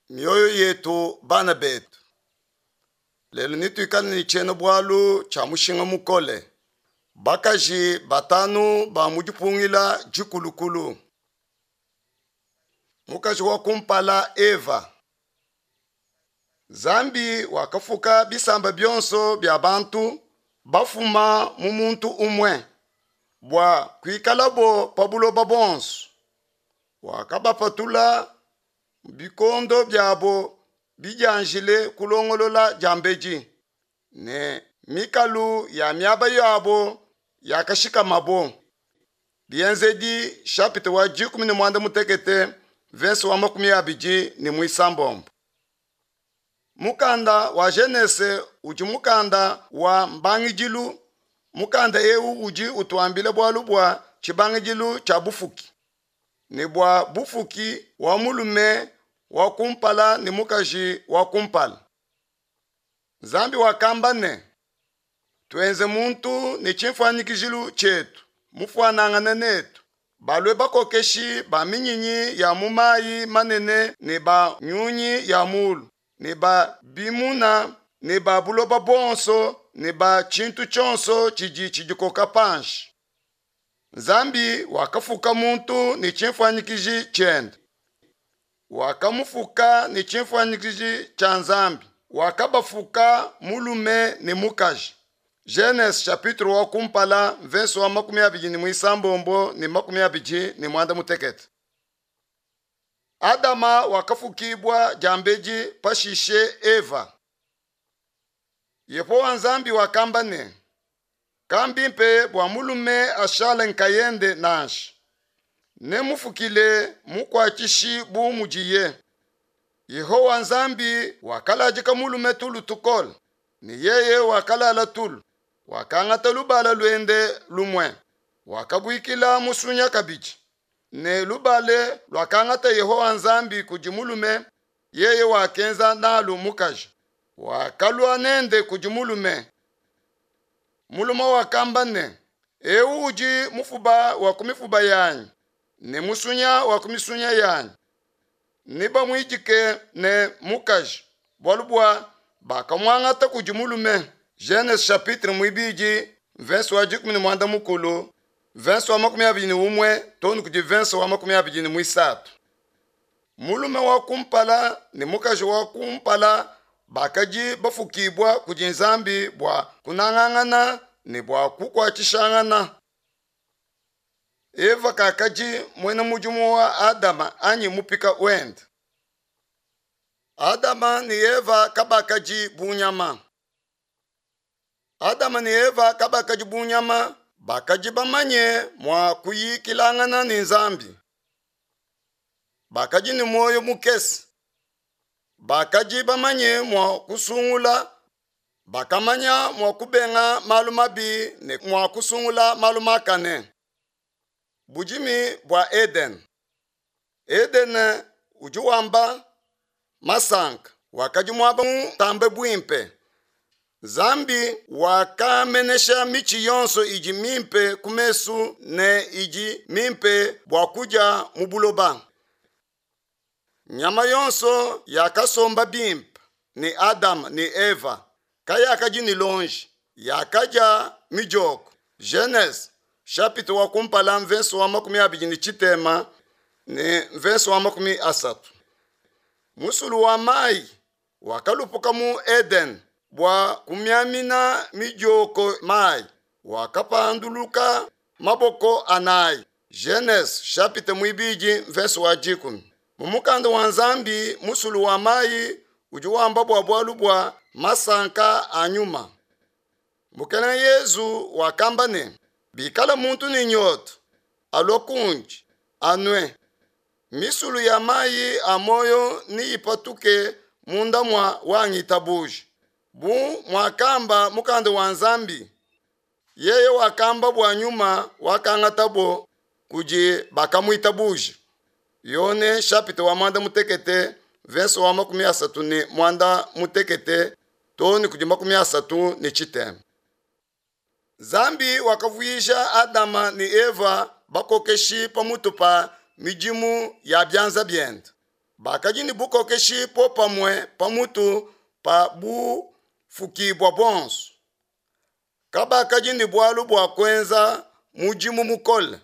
Mioyo yetu bana betu. Lelu netuikale ne tshiena-bualu tshia mushinga mukole, bakaji batanu ba mu dipungila dikulukulu. Mukaji wa kumpala Eva. Nzambi wakafuka bisamba bionso bia bantu bafuma mu muntu umue bua kuikalabo pa buloba buonso. Wakabapatula bikondo biabo bidianjile kulongolola diambedi, ne mikalu ya miaba yabo yakashikamabo. Bienzedi chapitre wa 16 verse wa 26. Mukanda wa Genese udi mukanda wa mbangidilu. Mukanda eu udi utuambila bualu bua tshibangidilu tshia bufuki ne bua bufuki wa mulume wa kumpala ne mukaji wa kumpala. Nzambi wakamba ne, Tuenze muntu ne tshimfuanyikijilu tshietu, mufuanangane netu, balue bakokeshi ba minyinyi ya mu mayi manene ne ba nyunyi ya mulu ne ba bimuna ne ba buloba buonso ne ba tshintu tshionso tshidi tshidikoka panshi. Nzambi wakafuka muntu ne tshimfuanyikiji tshiende. Wakamufuka ne tshimfuanyikiji tshia Nzambi. Wakabafuka mulume ne mukaji. Genese chapitre wa kumpala mvese wa 26 ne 28. Adama wakafukibua diambedi pashishe Eva. Yehowa Nzambi wakamba ne, Kambimpe bua mulume ashale nkayende nansha. Nemufukile mukuatshishi bu mudiye. Yehowa Nzambi wakaladika mulume tulu tukole, ne yeye wakalala tulu. Wakangata lubala luende lumue, wakabuikila musunya kabidi. Ne lubale luakangata Yehowa Nzambi kudi mulume, yeye wakenza nalu mukaji, wakalua nende kudi mulume. Mulume wakamba ne, Eu udi mufuba wa ku mifuba yanyi ne musunya wa ku misunya yanyi. Nebamuidike ne mukaji, bualu bua bakamuangata kudi mulume. Genese chapitre muibidi verse wa 13 verse wa 21 too ne kudi verse wa 23. Mulume wa kumpala ne mukaji wa kumpala bakadi bafukibua kudi Nzambi bua kunangangana ne bua kukuatshishangana. Eva kakadi muena mudimu wa Adama anyi mupika wende. Adama ne Eva kabakadi bu nyama. Adama ne Eva kabakadi bu nyama, bakadi bamanye mua kuyikilangana ne Nzambi. Bakadi ne muoyo mukese. Bakadi bamanye mua kusungula, bakamanya mua kubenga malu mabi ne mua kusungula malu makane. Budimi bua Edene. Edene udi wamba masanka wakadi muaba mutambe buimpe. Nzambi wakamenesha mitshi yonso idi mimpe ku mesu ne idi mimpe bua kudia mu buloba. Nyama yonso yakasomba bimpe ne Adama ne Eva, kayakadi ne lonji, yakadia midioko. Genese chapitre wa kumpala mvese wa 20 ne mvese wa 30. Musulu wa mayi wakalupuka mu Edene bua kumiamina midioko mayi, wakapanduluka maboko anayi. Genese chapitre muibidi mvese wa 10. Mu mukanda wa Nzambi musulu wa mayi udi wamba bua bualu bua masanka a nyuma. Mukelenge Yezu wakamba ne, bikala muntu ne nyota, alua kundi, anue. Misulu ya mayi a muoyo neyipatuke munda mua wangitabuja. Bu muakamba mukanda wa Nzambi, yeye wakamba bua nyuma wakangatabo kudi bakamuitabuja. Yone chapitre wa 16 verse wa 36 too ne kudi 33. Nzambi wakavuija Adama ne Eva bakokeshi pamutu pa midimu ya bianza biende. Bakadi ne bukokeshi popamue pamutu pa bufukibua buonso. Kabakadi ne bualu bua kuenza mudimu mukole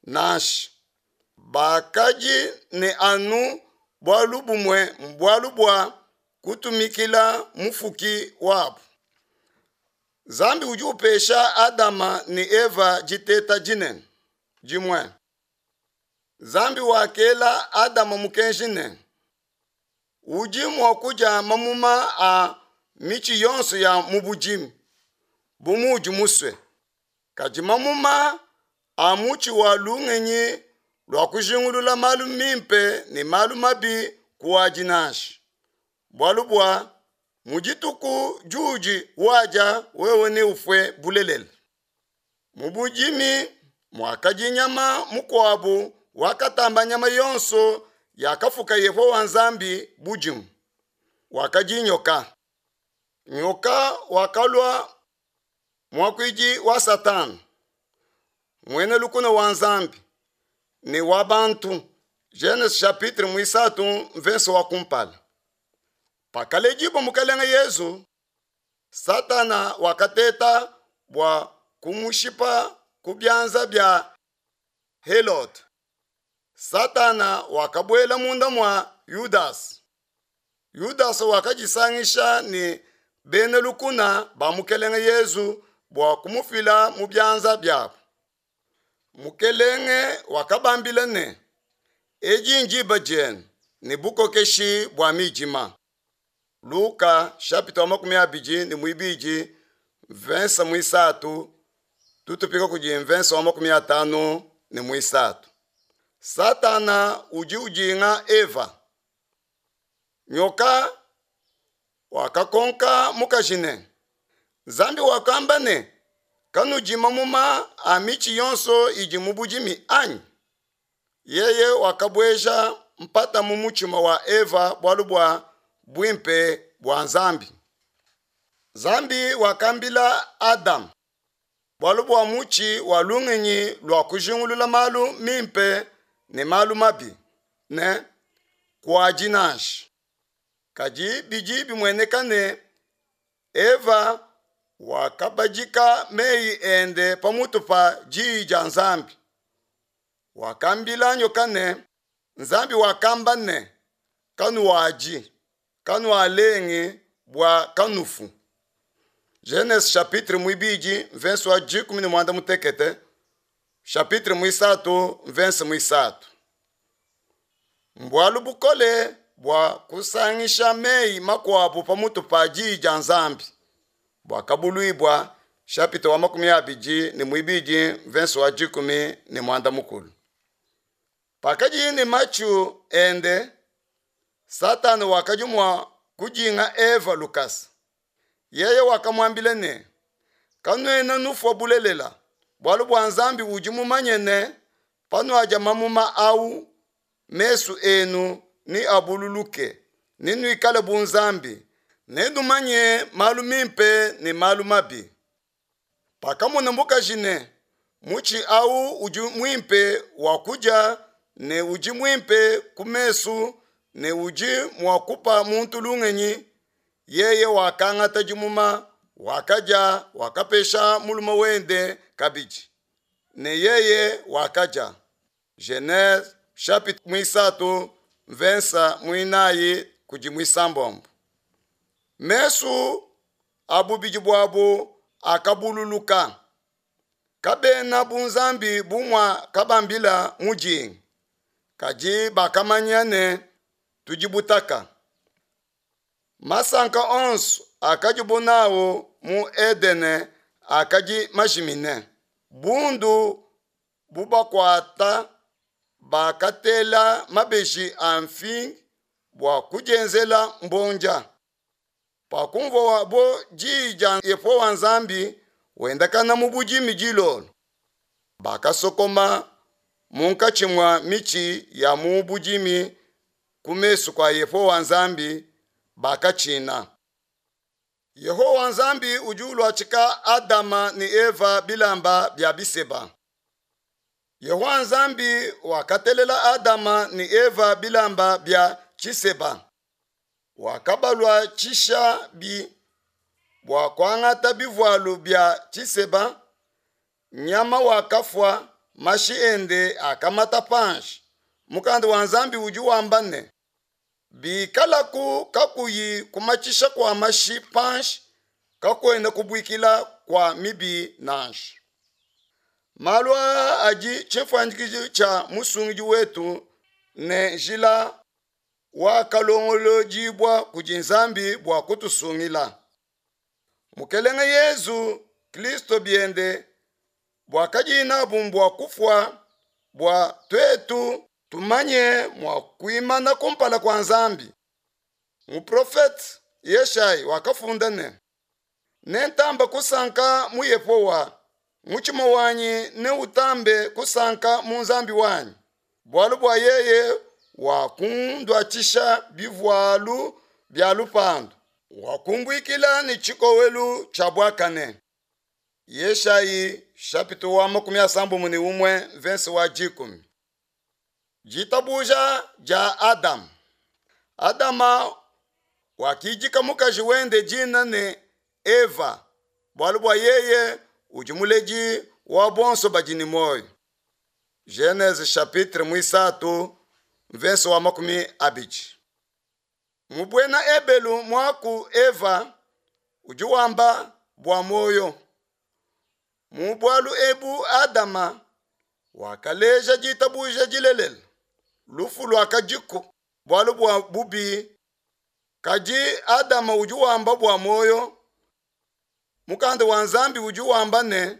nansha. Bakadi ne anu bualu bumue, mbualu bua kutumikila Mufuki wabu. Nzambi udi upesha Adama ne Eva diteta dinene dimue. Nzambi wakela Adama mukenji ne, Udi mua kudia mamuma a mitshi yonso ya mu budimi bu muudi musue, kadi mamuma a mutshi wa lungenyi lua kujingulula malu mimpe ne malu mabi kuadi nansha, bualu bua mu dituku diudi uadia wewe neufue bulelela. Mu budimi muakadi nyama mukuabu wakatamba nyama yonso yakafuka Yehowa Nzambi budimu, wakadi nyoka. Nyoka wakalua muakuidi wa Satana, muena lukuna wa Nzambi ne wa bantu. Genese chapitre muisatu mvese wa kumpala. Pakaledibua Mukelenge Yezu, Satana wakateta bua kumushipa ku bianza bia Helode. Satana wakabuela munda mua Yudasa. Yudasa wakadisangisha ne bena lukuna ba Mukelenge Yezu bua kumufila mu bianza biabu. Mukelenge wakabambila ne, Edi ndiba dienu ne bukokeshi bua midima. Luka chapitre wa 22 mvensa muisatu tutupika kudi mvensa wa 53. Satana udi udinga Eva. Nyoka wakakonka mukaji ne, Nzambi wakamba ne, kanudi mamuma a mitshi yonso idi mu budimi anyi? Yeye wakabueja mpata mu mutshima wa Eva bualu bua buimpe bua Nzambi. Nzambi wakambila Adamu bualu bua mutshi wa lungenyi lua kujingulula malu mimpe ne malu mabi ne, kuadi nansha. Kadi bidi bimueneka ne, Eva wakabadika meyi ende pamutu pa diyi dia Nzambi. Wakambila nyoka ne, Nzambi wakamba ne, kanuadi, kanualengi bua kanufu. Genese chapitre muibidi mvense wa 16, chapitre muisatu mvense muisatu. Mbualu bukole bua kusangisha meyi makuabu pamutu pa diyi dia Nzambi. Buakabuluibua chapitre wa 22 mvense wa 13. Pakadiye ne matshu ende, Satana wakadi mua kudinga Eva lukasa. Yeye wakamuambila ne, Kanuena nufua bulelela, bualu bua Nzambi udi mumanye ne, panuadia mamuma au, mesu enu neabululuke, nenuikale bu Nzambi, nenumanye malu mimpe ne malu mabi. Pakamona mukaji ne, mutshi au udi muimpe wa kudia ne udi muimpe ku mesu ne udi mua kupa muntu lungenyi, yeye wakangata dimuma, wakadia, wakapesha mulume wende kabidi, ne yeye wakadia. Genese chapitre muisatu mvensa muinayi kudi muisambombo. Mesu a bubidi buabu akabululuka. Kabena bu Nzambi bu mua kabambila mudingi, kadi bakamanya ne tudi butaka. Masanka onso akadibu nawu mu Edene akadi majimine. Bundu bubakuata bakatela mabeji a mfingi bua kudienzela mbondia. Pakumvuabo diyi dia Yehowa Nzambi wendakana mu budimi dilolo, bakasokoma munkatshi mua mitshi ya mu budimi ku mesu kua Yehowa Nzambi, bakatshina. Yehowa Nzambi udi uluatshika Adama ne Eva bilamba bia biseba. Yehowa Nzambi wakatelela Adama ne Eva bilamba bia tshiseba. Wakabaluatshisha bi bua kuangata bivualu bia tshiseba, nyama wakafua, mashi ende akamata panshi. Mukanda wa Nzambi udi wamba ne, Bikalaku kakuyi kumatshisha kua mashi panshi, kakuena kubuikila kua mibi nansha. Malu aa adi tshifuanyikiji tshia Musungidi wetu ne njila wakalongolodibua kudi Nzambi bua kutusungila. Mukelenge Yezu Kristo biende buakadiye nabu mbua kufua bua tuetu tumanye mua kuimana kumpala kua Nzambi. Muprofete Yeshayi wakafunda ne, Nentamba kusanka mu Yehowa, mutshima wanyi neutambe kusanka mu Nzambi wanyi, bualu bua yeye wakunduatshisha bivualu bia lupandu, wakumbuikila ne tshikowelu tshia buakane. Yeshayi chapitre wa 61 verse wa 10. Ditabuja dia Adama. Adama wakidika mukaji wende dina ne Eva, bualu bua yeye udi muledi wa bonso badi ne muoyo. Genese chapitre muisatu verse wa 20. Mu buena Ebelu muaku Eva udi wamba bua muoyo. Mu bualu ebu Adama wakaleja ditabuja dilelela. Lufu luakadiku bualu bua bubi, kadi Adama udi wamba bua muoyo. Mukanda wa Nzambi udi wamba ne,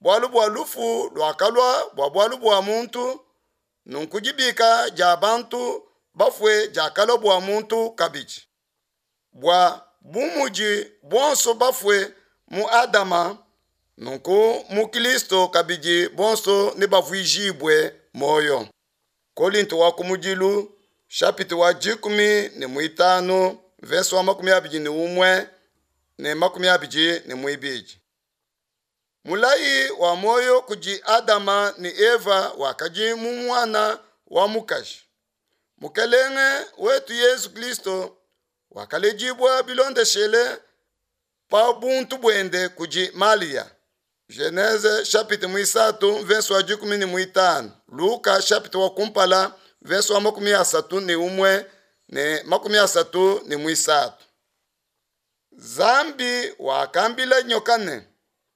bualu bua lufu luakalua bua bualu bua muntu, nunku dibika dia bantu bafue diakalua bua muntu kabidi. Bua bu mudi bonso bafue mu Adama, nunku mu Kristo kabidi bonso nebavuijibue muoyo. Kolinto wa kumudilu chapitre wa 15 verse wa 21 ne 22. Mulayi wa muoyo kudi Adama ne Eva wakadi mu muana wa mukaji. Mukelenge wetu Yesu Kristo wakaledibua bilondeshele pa buntu buende kudi Malia. Genese chapitre 3 verse wa 15, Luka chapitre wa kumpala verse wa 31 ne 33. Nzambi wakambila nyoka ne,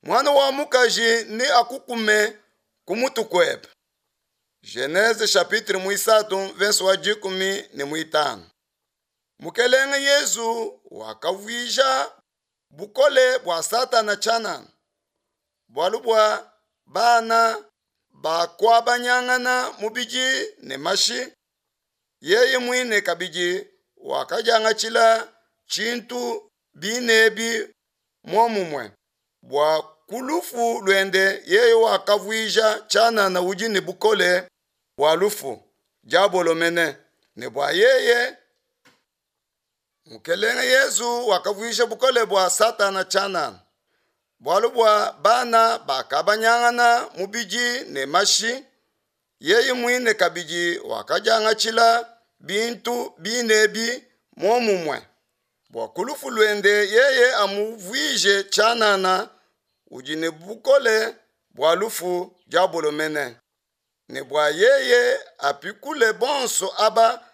mwana wa mukaji ne akukume ku mutu kuebe. Genese chapitre 3 verse wa 15. Mukelenge Yezu wakavuija bukole bua Satana tshianana, bualu bua bana bakuabanyangana mubidi ne mashi, yeye muine kabidi wakadiangatshila tshintu binebi muomumue, bua ku lufu luende yeye wakavuija tshianana udi ne bukole bua lufu, diabolo mene, ne bua yeye Mukelenge Yezu wakavuija bukole bua Satana tshianana, bualu bua bana bakabanyangana mubidi ne mashi, yeye muine kabidi wakadiangatshila bintu binebi muomumue, bua ku lufu luende yeye amuvuije tshianana udi ne bukole bua lufu, diabolo mene, ne bua yeye apikule bonso aba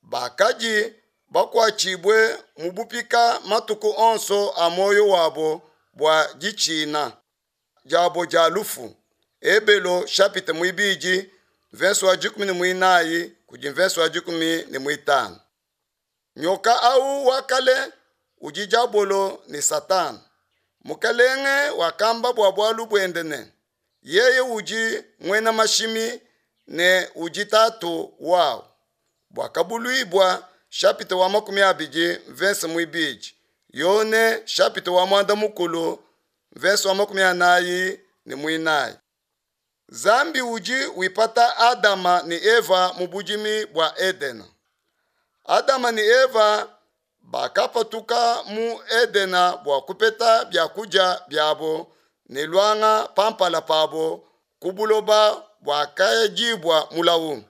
bakadi bakuatshibue mu bupika matuku onso a muoyo wabo bua ditshina diabo dia lufu. Ebelo chapitre 2 verse wa 14 kudi verse wa 15. Nyoka au wa kale udi diabolo ne Satana. Mukelenge wakamba bua bualu buende ne, yeye udi muena mashimi ne udi tatu wawu. Buakabuluibua chapitre wa 20 verse 2, Yone chapitre wa 10 verse wa 44. Nzambi udi wipata Adama ne Eva mu budimi bua Edena. Adama ne Eva bakapatuka mu Edena bua kupeta biakudia biabo ne luanga pampala pabo ku buloba buakayadibua mulawu.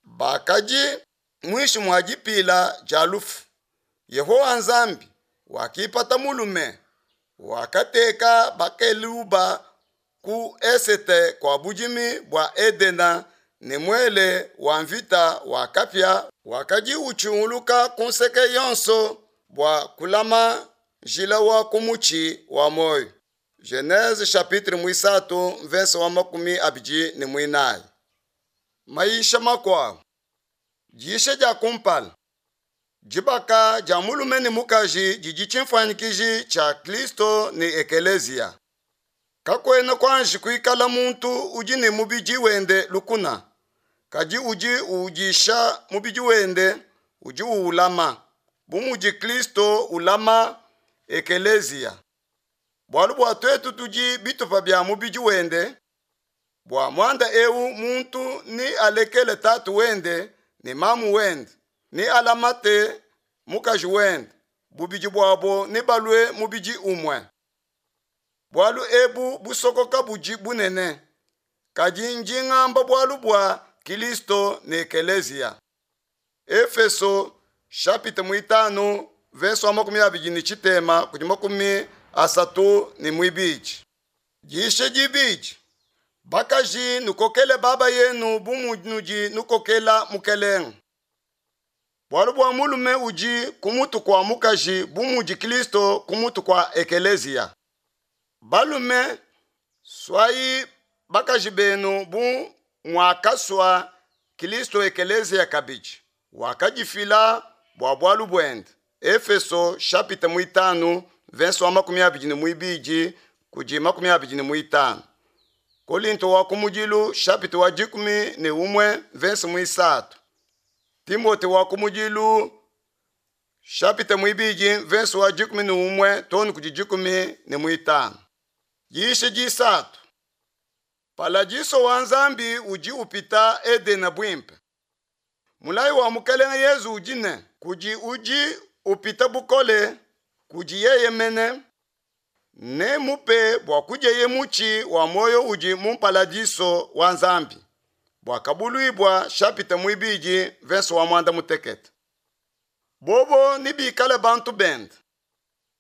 Bakadi muinshi mua dipila dia lufu. Yehowa Nzambi wakipata mulume, wakateka bakeluba ku esete kua budimi bua Edena ne muele wa mvita wa kapia wakadi utshunguluka ku nseke yonso bua kulama njila wa ku mutshi wa muoyo. Genese chapitre muisatu mvese wa 24. Mayisha makuabu. Diyisha dia kumpala. Dibaka dia mulume ne mukaji didi tshimfuanyikiji tshia Kristo ne Ekeleziya. Kakuena kuanji kuikala muntu udi ne mubidi wende lukuna, kadi udi uudisha mubidi wende, udi uulama, bu mudi Kristo ulama Ekeleziya. Bualu bua tuetu tudi bitupa bia mubidi wende, bua muanda eu muntu ni alekele tatu wende ne mamu wende, ni alamate mukaji wende, bubidi buabo nebalue mubidi umue. Bualu ebu busokoka budi bunene, kadi ndi ngamba bualu bua Kilisto ne Ekeleziya. Efeso chapitre muitanu verse wa 23 kudi 32. Diyisha dibidi. Bakaji nukokele baba yenu bu munudi nukokela Mukelenge. Bualu bua mulume udi ku mutu kua mukaji bu mudi Kristo ku mutu kua Ekeleziya. Balume, suayi bakaji benu bu muakasua Kristo Ekeleziya kabidi, wakadifila bua bualu buende. Efeso chapitre muitanu verse wa 22 kudi 25. Kolinto wa kumudilu chapitre wa 11 verse muisatu. Timote wa kumudilu chapitre muibidi verse wa 11 tonu kudi 15. Diyisha disatu. Paladiso wa Nzambi udi upita Edena buimpe. Mulayi wa Mukelenge Yezu udi ne, kudi udi upita bukole, kudi yeye mene, ne mupe bua kudieye mutshi wa muoyo udi mu paladiso wa Nzambi. Buakabuluibua chapitre muibidi verse wa 16. Bobo nibikale bantu bende,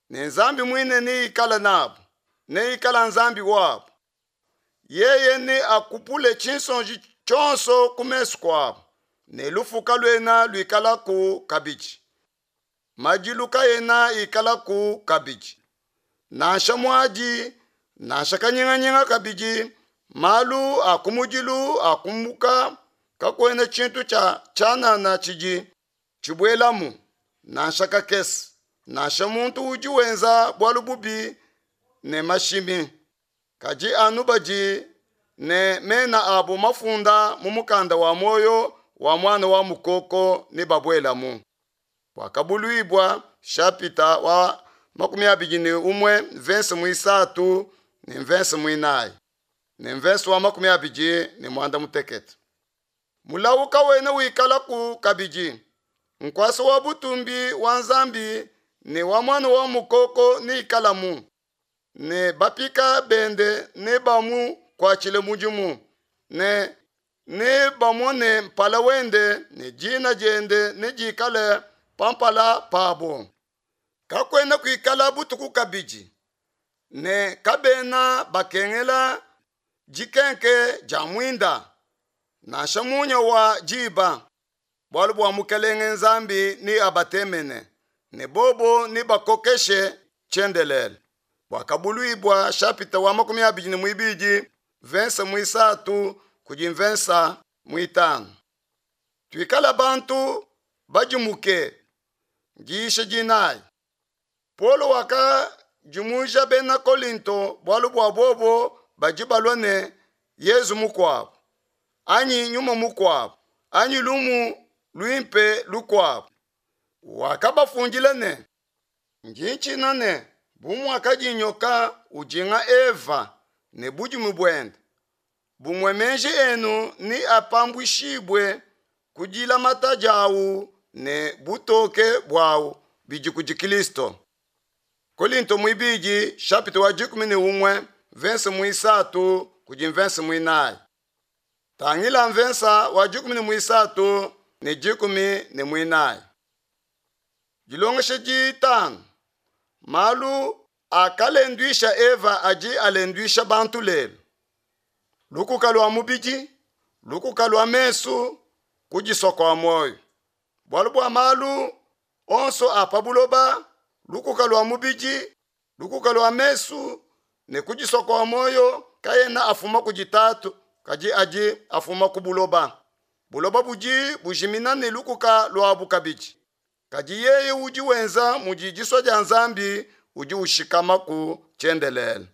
ne Nzambi muine neikale nabo, neikale Nzambi wabo. Yeye ne akupule tshinsonji tshionso ku mesu kuabo, ne lufu kaluena luikalaku kabidi. Madilu kaena ikalaku kabidi. Nansha muadi, nansha kanyinganyinga kabidi, malu a kumudilu akumbuka, kakuena tshintu tshia tshianana tshidi tshibuelamu, nansha kakese, nansha muntu udi wenza bualu bubi ne mashimi. Kadi anu badi ne mena abo mafunda mu mukanda wa muoyo wa mwana wa mukoko ne babuelamu. Buakabuluibua chapitre wa 21 verse muisatu ne verse muinayi ne verse wa 28. Mulawu kawena wikalaku kabidi. Nkuasa wa butumbi wa Nzambi ne wa mwana wa mukoko neikalamu, ne bapika bende ne bamukuatshile mudimu, ne nebamone mpala wende ne dina diende nedikale pa mpala pabo. Kakuena kuikala butuku kabidi, ne kabena bakengela dikenke dia muinda, nansha munya wa diba, bualu bua Mukelenge Nzambi ne abatemene, ne bobo ne bakokeshe tshiendelele. Buakabuluibua chapitre wa 22 verse muisatu kudi verse muitanu. Tuikala bantu badimuke. Diyisha dinayi. Paulo wakadimuja bena Kolinto bualu bua bobo badi balua ne Yezu mukuabu, anyi nyuma mukuabu, anyi lumu luimpe lukuabu. Wakabafundila ne, ndi ntshina ne bu muakadi nyoka ujinga Eva ne budimu buende, bumue meji enu ni apambuishibue ku dilamata diawu ne butoke buawu bidi kudi Kristo. Kolinto muibidi chapitre wa 11 verse muisatu kudi verse muinayi. Tangila verse wa 13 ne dikumi ne muinayi. Dilongesha ditanu, Malu akalenduisha Eva adi alenduisha bantu lelu. Lukuka lua mubidi, lukuka lua mesu, kudisua kua muoyo. Bualu bua malu onso a pa buloba, lukuka lua mubidi, lukuka lua mesu ne kudisua kua muoyo kaena afuma kudi Tatu, kadi adi afuma ku buloba. Buloba budi bujimina ne lukuka luabu kabidi. Kadi yeye udi wenza mudi disua dia Nzambi udi ushikamaku tshiendelele.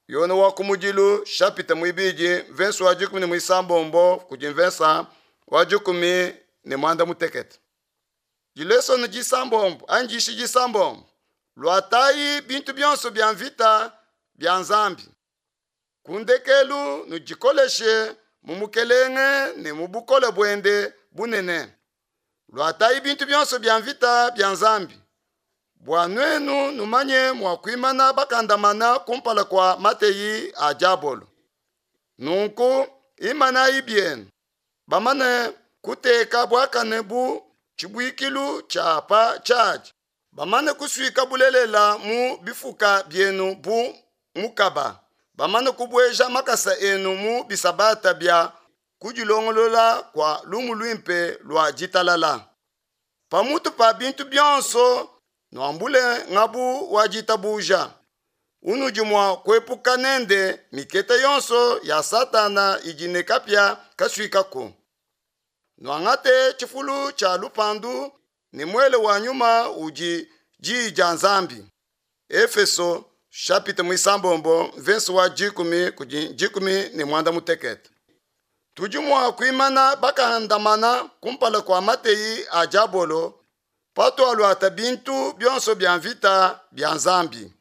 Yone wa kumudilu shapita muibidi mvensa wa dikumi ne muisambombo kudi mvensa wa dikumi ne muanda mutekete. Dilesone disambombo anyi dishi disambombo luatayi bintu bionso bia mvita bia Nzambi. Ku ndekelu nudikoleshe mu Mukelenge ne mu bukole buende bunene. Luatayi bintu bionso bia mvita bia Nzambi, bua nuenu numanye mua kuimana bakandamana kumpala kua mateyi a diabolo. Nunku imanayi bienu, bamane kuteka buakane bu tshibuikilu tshia pa tshiadi, bamane kusuika bulelela mu bifuka bienu bu mukaba, bamane kubueja makasa enu mu bisabata bia kudilongolola kua lumu luimpe lua ditalala. Pamutu pa bintu bionso nuambule ngabu wa ditabuja unudi mua kuepuka nende miketa yonso ya Satana idi ne kapia kasuikaku. Nuangate tshifulu tshia lupandu ne muele wa nyuma udi diyi dia Nzambi. Efeso chapitre muisambombo mvese wa dikumi kudi dikumi ne muanda mutekete. Tudi mua kuimana bakandamana kumpala kua mateyi a diabolo patualuata bintu bionso bia mvita bia Nzambi.